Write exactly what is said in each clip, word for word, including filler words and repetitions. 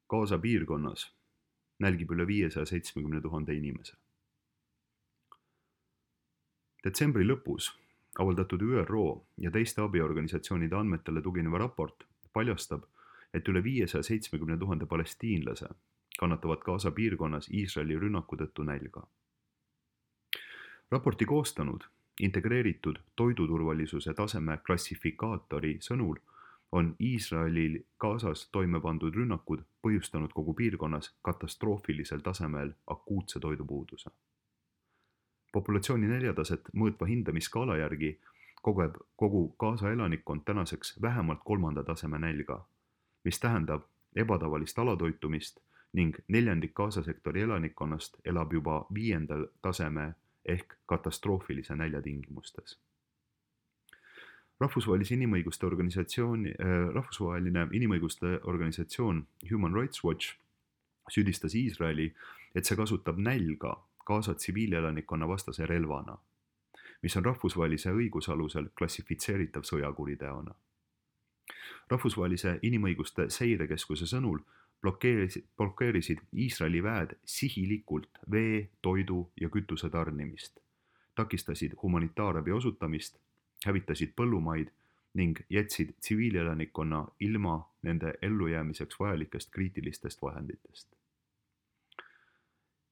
Gaza piirkonnas nälgib üle viiesaja seitsmekümne tuhande inimese. Detsembri lõpus avaldatud ÜRO ja teiste abiorganisatsioonide andmetele tugineva raport paljastab, et üle viiesaja seitsmekümne tuhande palestiinlase kannatavad Gaza piirkonnas Iisraeli rünnaku tõttu nälga. Raporti koostanud integreeritud toiduturvalisuse taseme klassifikaatori sõnul on Iisraelil Gazas toime pandud rünnakud põhjustanud kogu piirkonnas katastroofilisel tasemel akuutse toidupuuduse. Populatsiooni neljataset mõõtva hindamiskaala järgi kogeb kogu Gaza elanikkond tänaseks vähemalt kolmanda taseme nälga, mis tähendab ebatavalist alatoitumist ning neljandik Gaza sektori elanikkonnast elab juba viiendal taseme ehk katastroofilise nälja tingimustes. Rahvusvahelise inimõiguste organisatsioon, rahvusvaheline inimõiguste organisatsioon Human Rights Watch süüdistas Iisraeli, et see kasutab nälga Gaza tsiviilelanikkonna vastase relvana, mis on rahvusvahelise õiguse alusel klassifitseeritav sõjakuriteona. Rahvusvahelise inimõiguste seirekeskuse sõnul blokeerisid, blokeerisid Iisraeli väed sihilikult vee, toidu ja kütuse tarnimist, takistasid humanitaarabi osutamist, hävitasid põllumaid ning jätsid tsiviilelanikkonna ilma nende ellujäämiseks vajalikest kriitilistest vahenditest.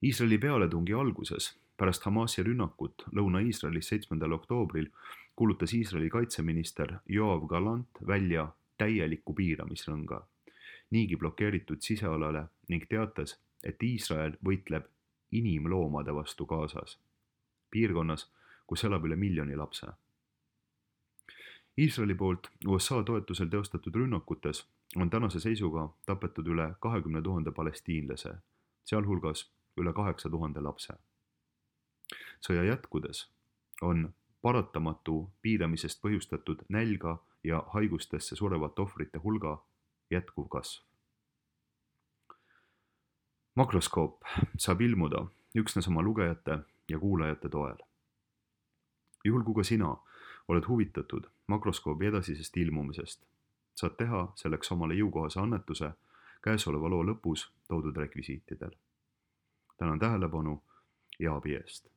Iisraeli pealetungi alguses, pärast Hamasi rünnakut Lõuna-Iisraelis seitsmendal oktoobril, kuulutas Iisraeli kaitseminister Yoav Gallant välja täieliku piiramisrõnga niigi blokeeritud sisealale ning teatas, et Iisrael võitleb inimloomade vastu Gazas, piirkonnas, kus elab üle miljoni lapse. Iisraeli poolt U S A toetusel teostatud rünnakutes on tänase seisuga tapetud üle kahekümne tuhande palestiinlase, sealhulgas üle kaheksa tuhande lapse. Sõja jätkudes on paratamatu piiramisest põhjustatud nälga ja haigustesse surevate ohvrite hulga jätkuv kasv. Makroskoop saab ilmuda üksnes oma lugejate ja kuulajate toel. Juhul kui ka sina oled huvitatud makroskoobi edasisest ilmumisest, saad teha selleks omale jõukohase annetuse käesoleva loo lõpus toodud rekvisiitidel. Tänan tähelepanu ja abi eest.